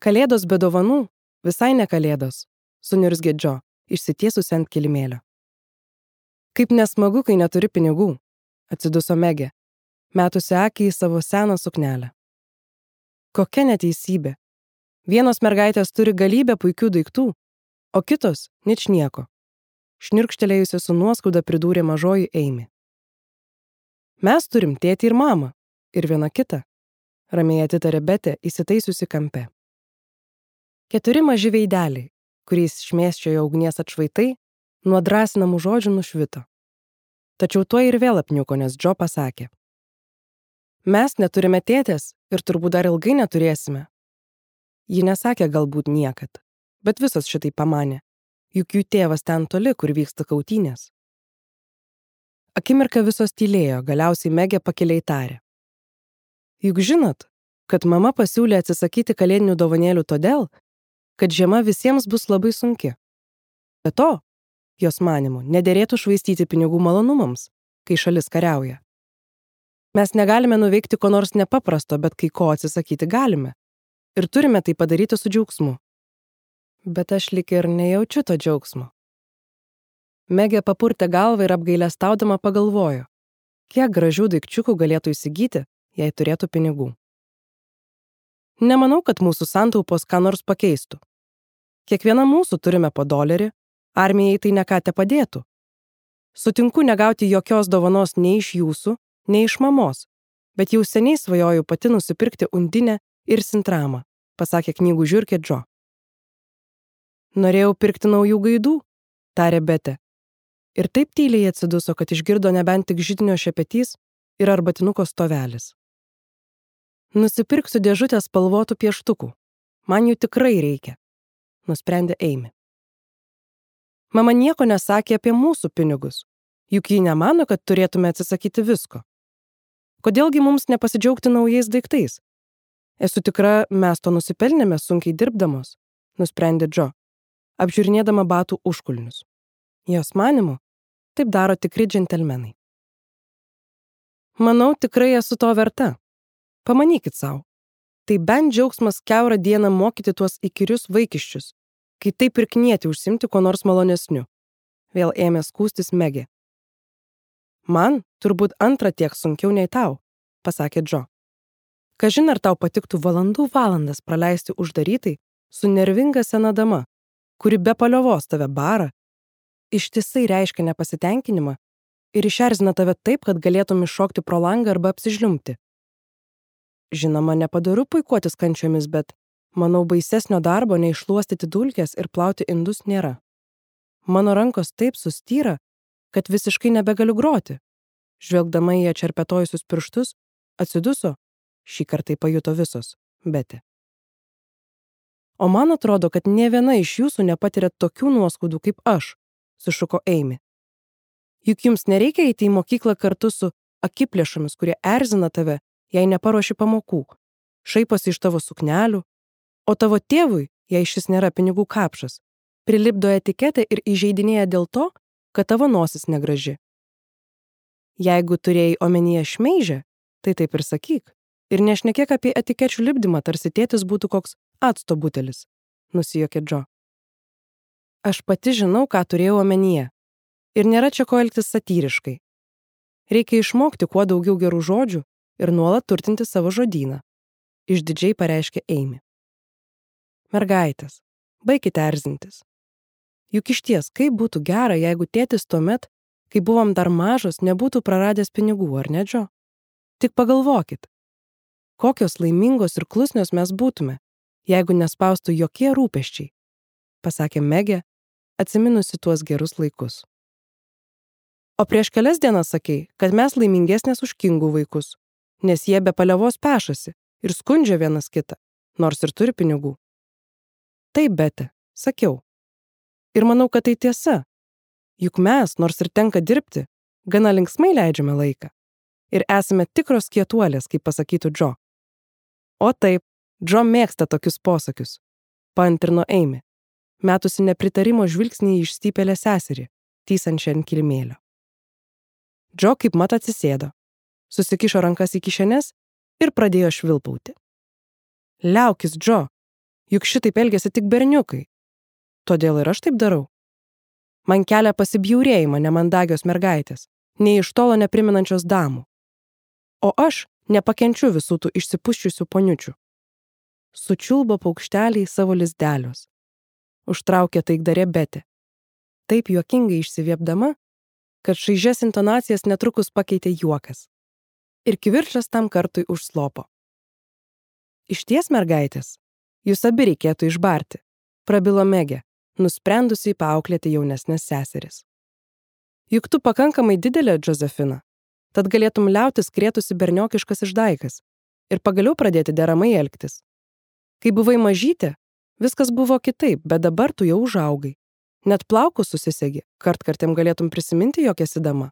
Kalėdos be dovanų, visai ne kalėdos, suniurzgė Džo, išsitiesusi ant kilimėlio. Kaip nesmagu, kai neturi pinigų, atsiduso Megė, metusi akį į savo seną suknelę. Kokia neteisybė. Vienos mergaitės turi galybę puikių daiktų, o kitos ničnieko. Šnirkštelėjusi su nuoskauda pridūrė mažoji Eimi. Mes turim tėtį ir mamą, ir vieną kitą, ramiai atitarė Betė, įsitaisiusi kampe. 4 maži veideliai, kuriais šmėsčiojo ugnies atšvaitai, nuo drąsinamų žodžių nušvito. Tačiau tuo ir vėl apniuko, nes Džo pasakė. Mes neturime tėtės ir turbūt dar ilgai neturėsime. Ji nesakė galbūt niekad, bet visos šitai pamanė, juk jų tėvas ten toli, kur vyksta kautynės. Akimirką visos tylėjo, galiausiai Megė pakiliai tarė. Juk žinot, kad mama pasiūlė atsisakyti kalėdinių dovanėlių todėl, kad žiema visiems bus labai sunki. Be to, jos manymu, nederėtų švaistyti pinigų malonumams, kai šalis kariauja. Mes negalime nuveikti ko nors nepaprasto, bet kai ko atsisakyti galime. Ir turime tai padaryti su džiaugsmu. Bet aš lyg ir nejaučiu to džiaugsmo. Megė papurtė galvą ir apgailestaudama pagalvojo, kiek gražių daikčiukų galėtų įsigyti, jei turėtų pinigų. Nemanau, kad mūsų santaupos ką nors pakeistų. Kiekviena mūsų turime po $1, armijai tai ne ką te padėtų. Sutinku negauti jokios dovanos nei iš jūsų, nei iš mamos, bet jau seniai svajoju pati nusipirkti undinę ir sintramą, pasakė knygų žiurkė Džo. Norėjau pirkti naujų gaidų, tarė Betė. Ir taip tyliai atsiduso, kad išgirdo nebent tik židinio šepetys ir arbatinuko stovelis. Nusipirksiu dėžutę spalvotų pieštukų. Man jų tikrai reikia, nusprendė Eimi. Mama nieko nesakė apie mūsų pinigus, juk ji nemano, kad turėtume atsisakyti visko. Kodėlgi mums nepasidžiaugti naujais daiktais? Esu tikra, mes to nusipelnėme sunkiai dirbdamos, nusprendė Džo, apžiūrinėdama batų užkulnius. Jos manymu, taip daro tikri džentelmenai. Manau, tikrai esu to verta. Pamanykit savo. Tai bent džiaugsmas kiaurą dieną mokyti tuos įkyrius vaikiščius, kai taip ir knieti užsimti ko nors malonesniu. Vėl ėmė skųstis Megė. Man turbūt antrą tiek sunkiau nei tau, pasakė Džo. Kažin ar tau patiktų valandas praleisti uždarytai su nervinga sena dama, kuri be paliovos tave bara, ištisai reiškia nepasitenkinimą ir išerzina tave taip, kad galėtum iššokti pro langą arba apsižliumbti. Žinoma, nepadoru puikuotis kančiomis, bet, manau, baisesnio darbo nei šluostyti dulkes ir plauti indus nėra. Mano rankos taip sustyra, kad visiškai nebegaliu groti. Žvelgdama į atšerpetojusius pirštus, atsiduso, šį kartą pajuto visos, Betė. O man atrodo, kad nė viena iš jūsų nepatiria tokių nuoskaudų kaip aš, sušuko Eimi. Juk jums nereikia eiti į mokyklą kartu su akiplėšomis, kurie erzina tave, jei neparuoši pamokų, šaiposi iš tavo suknelių, o tavo tėvui, jei šis nėra pinigų kapšas, prilipdo etiketę ir įžeidinėja dėl to, kad tavo nosis negraži. Jeigu turėjai omenyje šmeižę, tai taip ir sakyk. Ir nešnekėk apie etikečių lipdymą, tarsi tėtis būtų koks acto butelis, nusijuokė Džo. Aš pati žinau, ką turėjau omenyje. Ir nėra čia ko elgtis satyriškai. Reikia išmokti kuo daugiau gerų žodžių ir nuolat turtinti savo žodyną, išdidžiai pareiškė Eimi. Mergaitės, baikite erzintis. Juk išties, kaip būtų gera, jeigu tėtis tuomet, kai buvom dar mažos, nebūtų praradęs pinigų, ar ne, Džo? Tik pagalvokit, kokios laimingos ir klusnios mes būtume, jeigu nespaustų jokie rūpesčiai, pasakė Megė, atsiminusi tuos gerus laikus. O prieš kelias dienas sakei, kad mes laimingesnės už kingų vaikus, nes jie be paliovos pešasi ir skundžia vienas kitą, nors ir turi pinigų. Taip, Betė, sakiau. Ir manau, kad tai tiesa. Juk mes, nors ir tenka dirbti, gana linksmai leidžiame laiką. Ir esame tikros kietuolės, kaip pasakytų Džo. O taip, Džo mėgsta tokius posakius, paantrino Eimi, metusi nepritarimo žvilgsnį į išstypėlę seserį, tysančią ant kilimėlio. Džo kaip mat atsisėdo, susikišo rankas į kišenes ir pradėjo švilpauti. Liaukis, Džo, Juk šitaip elgiasi tik berniukai. Todėl ir aš taip darau. Man kelia pasibjaurėjimą nemandagios mergaitės, nei iš tolo nepriminančios damų. O aš nepakenčiu visų tų išsipuščiusių poniučių. Sučiulbo paukšteliai savo lizdelius. Užtraukė taikdarė Betė. Taip juokingai išsiviepdama, kad šaižias intonacijas netrukus pakeitė juokas. Ir kivirčas tam kartui užslopo. Išties, mergaitės, jūs abi reikėtų išbarti, prabilo Megė, nusprendusi paauklėti jaunesnės seseris. Juk tu pakankamai didelė, Džozefina, tad galėtum liautis krėtusi berniokiškas išdaigas ir pagaliau pradėti deramai elgtis. Kai buvai mažytė, viskas buvo kitaip, bet dabar tu jau užaugai. Net plaukus susisegi, kartkartėm galėtum prisiminti, jog esi dama.